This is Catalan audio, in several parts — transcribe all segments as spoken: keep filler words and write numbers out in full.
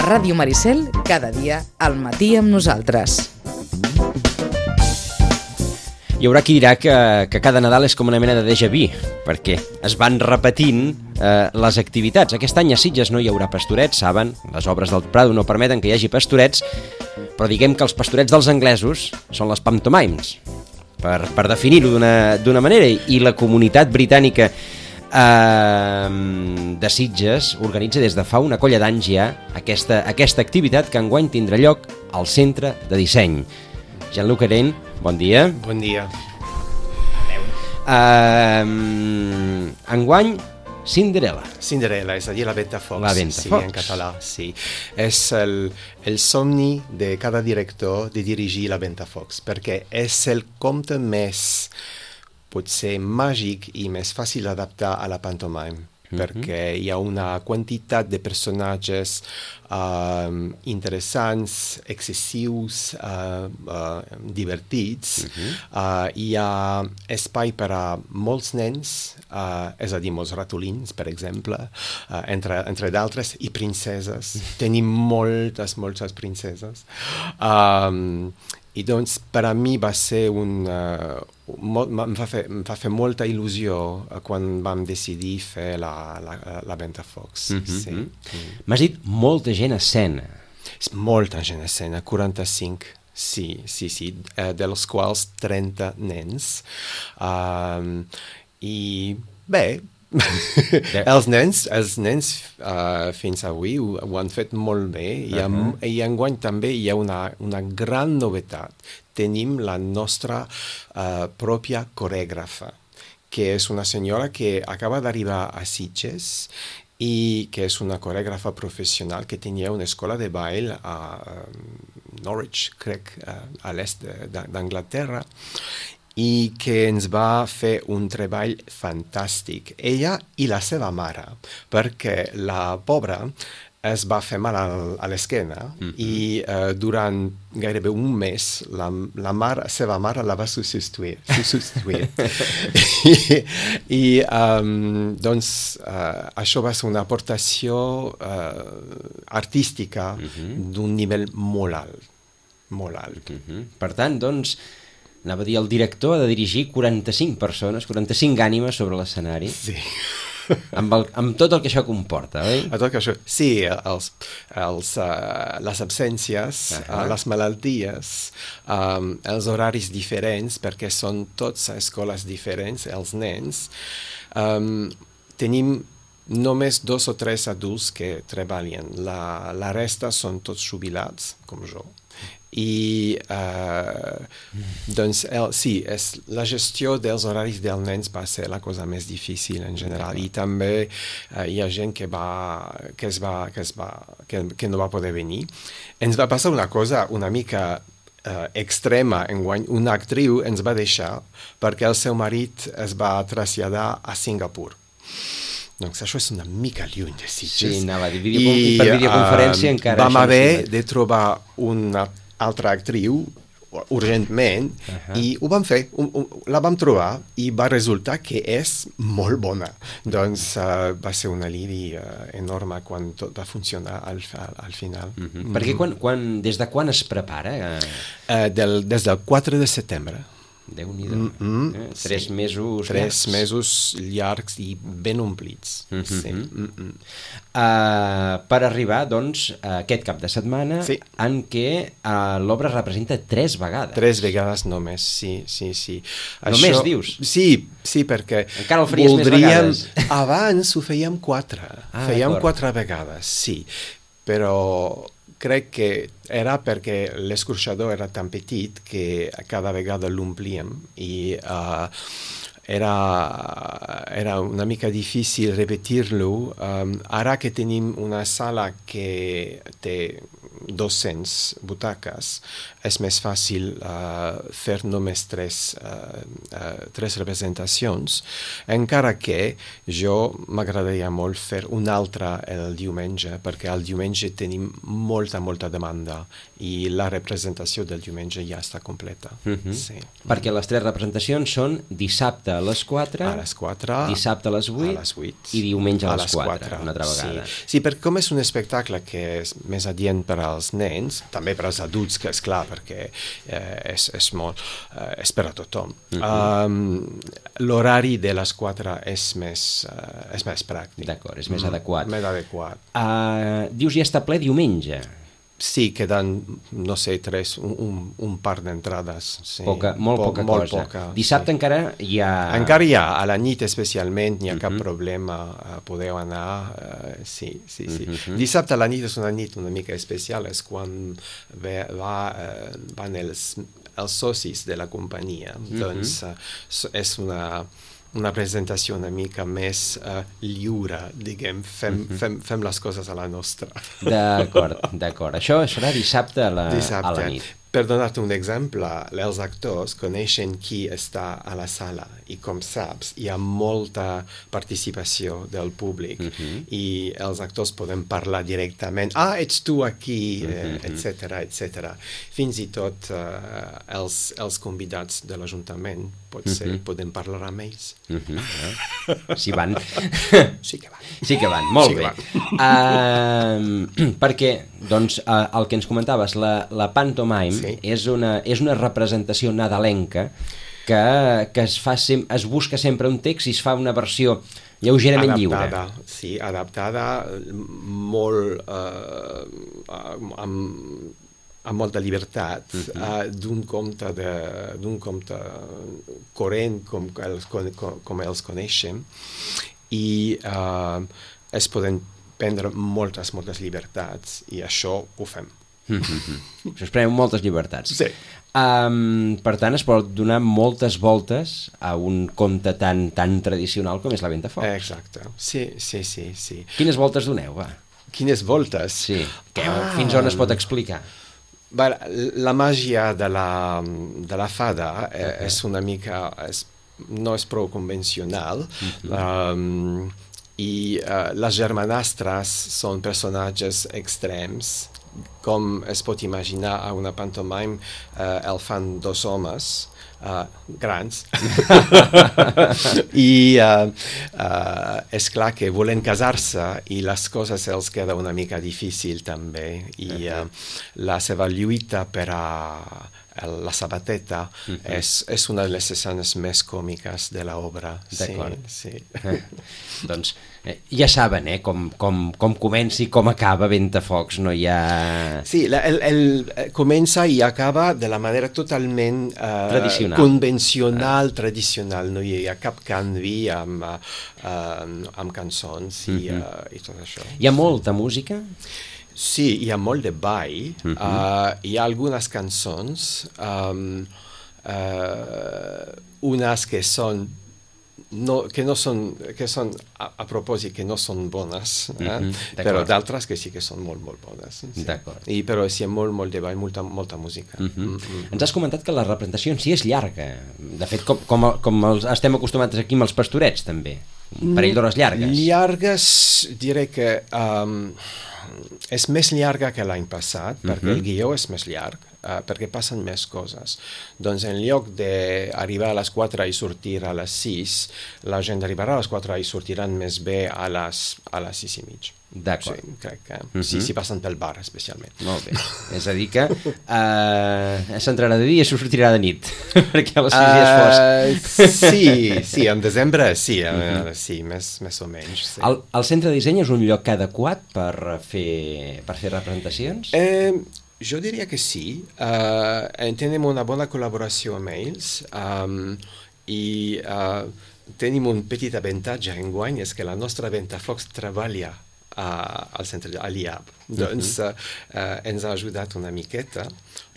Ràdio Maricel, cada dia al matí amb nosaltres. Hi haurà qui dirà que, que cada Nadal és com una mena de déjà vu, perquè es van repetint eh, les activitats. Aquest any a Sitges no hi haurà pastorets, saben, les obres del Prado no permeten que hi hagi pastorets, però diguem que els pastorets dels anglesos són les pantomimes, per, per definir-ho d'una manera, i la comunitat britànica eh, de Sitges organitza des de fa una colla d'anys ja aquesta, aquesta activitat que enguany tindrà lloc al Centre de Disseny. Jean-Luc Areny, bon dia. Bon dia. Uh, enguany, Cinderella. Cinderella, és a dir, la Ventafocs. La Ventafocs. Sí, en català, sí. És el, el somni de cada director de dirigir la Ventafocs, perquè és el conte més, potser, màgic i més fàcil d'adaptar a la pantomime. Perquè hi ha una quantitat de personatges uh, interessants, excessius, uh, uh, divertits. Uh-huh. uh, hi ha espai per a molts nens, uh, és a dir, molts ratolins, per exemple, uh, entre, entre d'altres, i princeses. Tenim moltes, moltes princeses. Um, I doncs, per a mi va ser un... Uh, molt, em, va fer, em va fer molta il·lusió uh, quan vam decidir fer la, la, la Ventafocs. Mm-hmm. Sí. Mm. M'has dit molta gent a escena. Molta gent a escena, quaranta-cinc. Sí, sí, sí, uh, dels quals trenta nens. Um, I bé... els nens, els nens uh, fins avui ho, ho han fet molt bé. I, uh-huh. I enguany també hi ha una, una gran novetat. Tenim la nostra uh, pròpia corègrafa, que és una senyora que acaba d'arribar a Sitges i que és una corègrafa professional que tenia una escola de ball a uh, Norwich, crec, uh, a l'est d'Anglaterra, i que ens va fer un treball fantàstic. Ella i la seva mare, perquè la pobra es va fer mal a l'esquena mm-hmm. i uh, durant gairebé un mes la, la mare, seva mare la va substituir. substituir. I i um, doncs uh, això va ser una aportació uh, artística mm-hmm. d'un nivell molt alt. Molt alt. Mm-hmm. Per tant, doncs, anava a dir, el director ha de dirigir quaranta-cinc persones, quaranta-cinc ànimes sobre l'escenari. Sí. Amb, el, amb tot el que això comporta, oi? A tot que això, sí, els, els, uh, les absències, uh-huh. uh, les malalties, um, els horaris diferents, perquè són tots a escoles diferents, els nens. Um, tenim només dos o tres adults que treballen. La, la resta són tots jubilats, com jo. I uh, doncs el, sí, és, la gestió dels horaris dels nens va ser la cosa més difícil en general, i també uh, hi ha gent que, va, que, es va, que, es va, que, que no va poder venir. Ens va passar una cosa una mica uh, extrema enguany. Una actriu ens va deixar perquè el seu marit es va traslladar a Singapur. Doncs això és una mica lluny de Sitges. Sí, anava a dir, I, per videoconferència uh, encara... Vam haver de trobar una altra actriu urgentment uh-huh. i ho vam fer, un, un, la vam trobar i va resultar que és molt bona. Doncs uh, va ser un alivi uh, enorme quan tot va funcionar al, al, al final. Uh-huh. Mm-hmm. Perquè quan, quan, des de quan es prepara? Uh, del, des del quatre de setembre. Déu-n'hi-do. Mm-hmm. eh? Tres sí. mesos Tres llargs. mesos llargs i ben omplits. Mm-hmm. Sí. Mm-hmm. Uh, per arribar, doncs, a aquest cap de setmana sí. en què uh, l'obra es representa tres vegades. Tres vegades només, sí, sí, sí. Només, Això, dius? Sí, sí, perquè encara el faries voldríem... més vegades. Abans ho fèiem quatre. Ah, fèiem d'acord. quatre vegades, sí. Però crec que era perquè l'escorxador era tan petit que cada vegada l'omplíem i uh, era, era una mica difícil repetir-lo. Um, ara que tenim una sala que té dos-cents butaques, és més fàcil uh, fer només tres, uh, uh, tres representacions, encara que jo m'agradaria molt fer una altra el diumenge, perquè el diumenge tenim molta, molta demanda i la representació del diumenge ja està completa. Mm-hmm. Sí. Perquè les tres representacions són dissabte a les quatre, a les quatre, dissabte a les vuit, a les vuit i diumenge a, a les quatre, una altra vegada. Sí. sí, perquè com és un espectacle que és més adient per als nens, també per als adults, que és clar, perquè eh, és, és, molt, eh, és per a tothom. Mm-hmm. um, l'horari de les quatre és més, uh, és més pràctic. D'acord, és més mm, adequat. Més adequat. Uh, dius, ja està ple diumenge. Sí, queden, no sé, tres, un, un, un par d'entrades. Sí. Poca, molt po poca molt cosa. Poca, Dissabte sí. encara hi ha... Encara hi ha, a la nit especialment, n'hi ha uh-huh. cap problema, uh, podeu anar, uh, sí, sí, sí. Uh-huh. Dissabte a la nit és una nit una mica especial, és quan ve, va, uh, van els, els socis de la companyia, uh-huh. doncs uh, és una... una presentació una mica més uh, lliure, diguem, fem, mm-hmm. fem, fem les coses a la nostra. D'acord, d'acord. Això serà dissabte a la, dissabte. a la nit. Per donar-te un exemple, els actors coneixen qui està a la sala i, com saps, hi ha molta participació del públic mm-hmm. i els actors poden parlar directament. Ah, ets tu aquí, mm-hmm. eh, et cetera, et cetera. Fins i tot eh, els, els convidats de l'Ajuntament potser mm-hmm. poden parlar amb ells. Mm-hmm. Si van. Sí que van. Sí que van, molt sí bé. Uh, perquè, doncs, uh, el que ens comentaves, la, la pantomime sí. és, una, és una representació nadalenca que, que es, fa sem es busca sempre un text i es fa una versió lleugerament adaptada, lliure. Sí, adaptada, molt uh, amb, amb molta llibertat, uh-huh. uh, d'un conte, de, d'un conte corrent com els, com, com els coneixem, i uh, es poden prendre moltes, moltes llibertats, i això ho fem. Mm-hmm. Us preneu moltes llibertats. Sí. Um, per tant, es pot donar moltes voltes a un conte tan, tan tradicional com és la Ventafocs. Exacte, sí, sí, sí, sí. Quines voltes doneu, va? Quines voltes? Sí, que, ah. fins on es pot explicar? La màgia de la, de la fada eh, és una mica, és, no és prou convencional, uh-huh. um, i uh, les germanastres són personatges extrems, com es pot imaginar a una pantomime, uh, el fan dos homes uh, grans, i uh, uh, és clar que volen casar-se i les coses els queda una mica difícil també, i uh, la seva lluita per a la sabateta uh-huh. és, és una de les escenes més còmiques de l'obra. D'acord. Sí, sí. Eh, doncs eh, ja saben eh, com, com, com comença i com acaba Ventafocs, no hi ha... Sí, la, el, el comença i acaba de la manera totalment uh, tradicional. convencional, uh. tradicional, no hi ha cap canvi amb, uh, amb cançons i, uh-huh. uh, i tot això. Hi ha molta música? Sí, hi ha molt de ball, uh-huh. uh, hi ha algunes cançons, um, uh, unes que són, no, que no són, que són a, a propòsit, que no són bones, eh? uh-huh. però d'altres que sí que són molt, molt bones. Sí. D'acord. I, però sí, hi ha molt, molt de ball, molta, molta música. Uh-huh. Uh-huh. Ens has comentat que la representació en si és llarga, de fet, com, com, com els, estem acostumats aquí amb els pastorets, també, un parell d'hores llargues. Llargues, diré que... Um, és més llarga que l'any passat, uh-huh. perquè el guió és més llarg, uh, perquè passen més coses. Doncs en lloc d'arribar a les quatre i sortir a les sis, la gent arribarà a les quatre i sortiran més bé a les, a les sis i mig. D'acord. Sí, crec que uh-huh. sí, si passen pel bar, especialment. Molt bé. És a dir que uh, s'entrarà de dia i sortirà de nit, perquè a les sis uh, ja és fosc. Sí, sí, en desembre sí, uh-huh. uh, sí, més, més o menys. Sí. El, el centre de disseny és un lloc adequat per fer, per fer representacions? Eh, jo diria que sí. Uh, tenim una bona col·laboració amb ells um, i uh, tenim un petit avantatge enguany, és que la nostra Ventafocs treballa a, al centre de l'I A B. Uh-huh. Doncs uh, uh, ens ha ajudat una miqueta,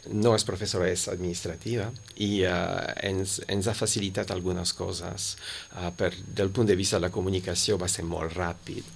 no és professora, és administrativa, i uh, ens, ens ha facilitat algunes coses. Uh, per, del punt de vista de la comunicació va ser molt ràpid.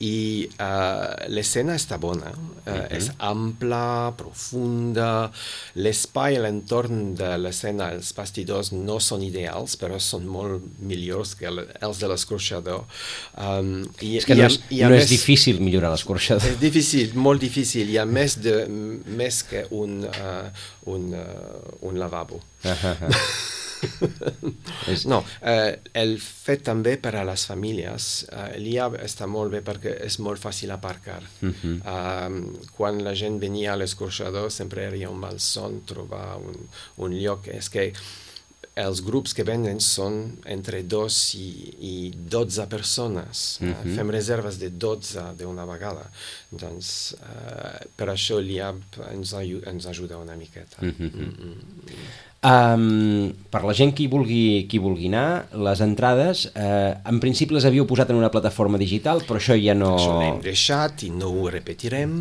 i uh, l'escena està bona, uh, uh-huh. és ampla, profunda, l'espai a l'entorn de l'escena, els bastidors no són ideals, però són molt millors que els de l'escorxador. Um, i, és que i no, a, és, i a no més, és difícil millorar l'escorxador. És difícil, molt difícil, hi ha més, de, més que un, uh, un, uh, un lavabo. No, eh, el fet també per a les famílies, eh, l'I A està molt bé perquè és molt fàcil aparcar. Uh-huh. eh, quan la gent venia a l'escorxador sempre era un malson trobar un, un lloc. És que els grups que venen són entre dos i, i dotze persones. Uh-huh. eh, fem reserves de dotze d'una vegada. Doncs eh, per això l'I A ens, ens ajuda una miqueta. Uh-huh. Mm-hmm. Um, per la gent que hi vulgui, qui vulgui anar, les entrades, eh, en principi les havíeu posat en una plataforma digital, però això ja no... Això l'hem deixat i no ho repetirem.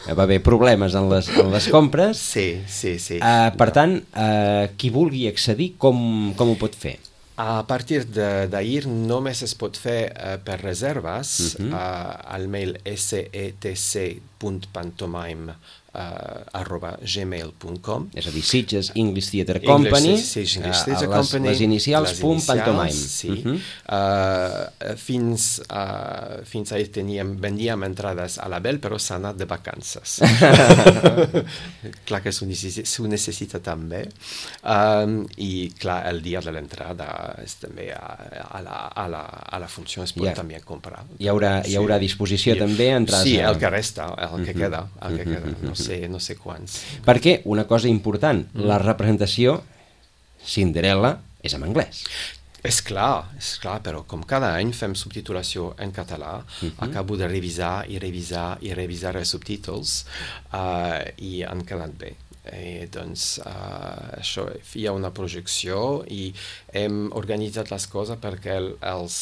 Va haver problemes en les, en les compres. Sí, sí, sí. Uh, per tant, uh, qui vulgui accedir, com, com ho pot fer? A partir d'ahir només es pot fer uh, per reserves uh-huh. uh, al mail setc punt pantomime Uh, arroba gmail punt com. És a dir, Sitges English Theatre Company, English, sí, English uh, Theatre les, Company, les inicials les punt inicials, pantomime. Sí. Uh-huh. uh, fins, uh, fins ahir teníem, vendíem entrades a la Bell, però s'ha anat de vacances. Clar que s'ho necessita, necessita també. Um, I clar, el dia de l'entrada és també a, a, la, a, la, a la funció es pot yeah. també comprar. Hi haurà, hi haurà disposició sí. també entrades sí, a... el que resta, el que uh-huh. queda, el que queda. No sé, no sé quants. Perquè, una cosa important, mm. la representació Cinderella és en anglès. És clar, és clar, però com cada any fem subtitulació en català, uh-huh. acabo de revisar i revisar i revisar els subtítols uh, i han quedat bé. I, doncs uh, això, hi ha una projecció i hem organitzat les coses perquè el, els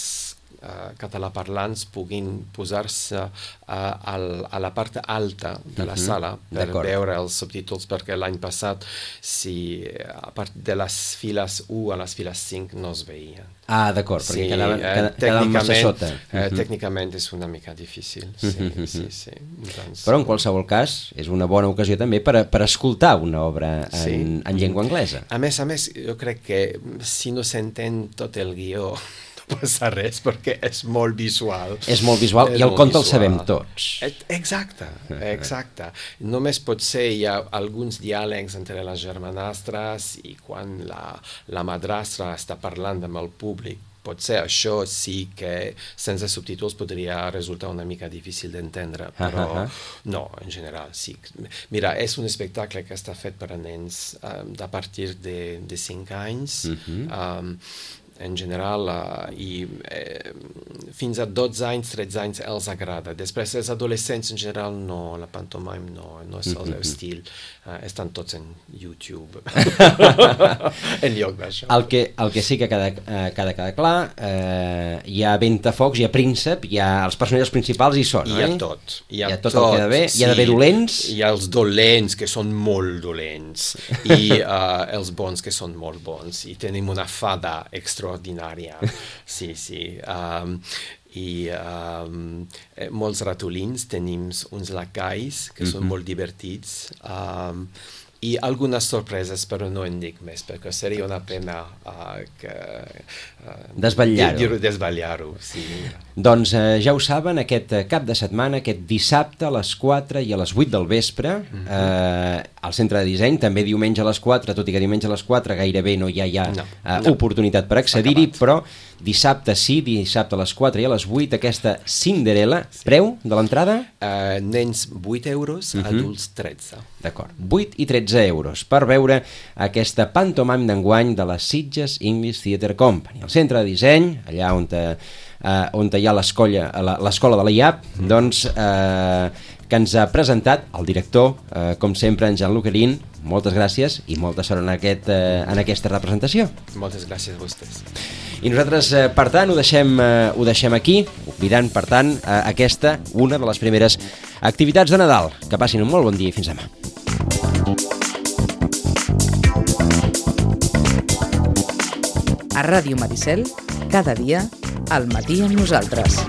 Uh, català-parlants puguin posar-se uh, al, a la part alta de la uh-huh. sala per veure els subtítols, perquè l'any passat si a part de les files u a les files cinc no es veien. Ah, d'acord, perquè sí, quedaven, eh, quedaven massa sota. Eh, uh-huh. Tècnicament és una mica difícil. Sí, uh-huh. sí, sí. Doncs, però en qualsevol cas és una bona ocasió també per, a, per escoltar una obra en, sí. en llengua anglesa. A més a més, jo crec que si no s'entén tot el guió no passa res, perquè és molt visual. És molt visual, és i el conte el sabem tots. Exacte, exacte. Només potser hi ha alguns diàlegs entre les germanastres i quan la, la madrastra està parlant amb el públic, potser això sí que sense subtítols podria resultar una mica difícil d'entendre, però uh-huh. no, en general sí. Mira, és un espectacle que està fet per a nens um, a partir de, de cinc anys, uh-huh. um, en general, uh, i eh, fins a dotze anys, tretze anys els agrada. Després, els adolescents en general, no, la pantomime no, no és el seu estil. Uh, estan tots en YouTube. En lloc d'això. El que, el que sí que cada, eh, cada, cada clar, eh, hi ha Ventafocs, hi ha Príncep, hi ha els personatges principals i són, hi oi? ha tot. Hi ha, hi ha tot, tot el que ha d'haver. Sí. Hi ha d'haver dolents. Hi ha els dolents, que són molt dolents, i uh, els bons, que són molt bons. I tenim una fada extraordinària. Sí, sí. Um, i um, molts ratolins, tenim uns lacais que mm-hmm. són molt divertits, um, i algunes sorpreses, però no en dic més, perquè seria una pena uh, que... Uh, desvetllar-ho. Desvetllar-ho, sí. Doncs eh, ja ho saben, aquest cap de setmana, aquest dissabte a les quatre i a les vuit del vespre, mm-hmm. eh, al Centre de Disseny, també diumenge a les quatre, tot i que diumenge a les quatre gairebé no hi ha ja no, eh, no. oportunitat per accedir-hi, però dissabte sí, dissabte a les quatre i a les vuit, aquesta Cinderella. Sí. Preu de l'entrada? Uh, nens vuit euros, uh-huh. adults tretze. D'acord, vuit i tretze euros per veure aquesta pantomime d'enguany de la Sitges English Theatre Company. Al Centre de Disseny, allà on, te, uh, on te hi ha l'escola de la I A P, uh-huh. doncs uh, que ens ha presentat el director, uh, com sempre, en Jean-Luc Arín. Moltes gràcies i molta sort en, aquest, uh, en aquesta representació. Moltes gràcies a vostès. I nosaltres, eh, per tant, ho deixem, eh, ho deixem aquí, oblidant, per tant, eh, aquesta, una de les primeres activitats de Nadal. Que passin un molt bon dia i fins demà. A Ràdio Maricel, cada dia, al matí amb nosaltres.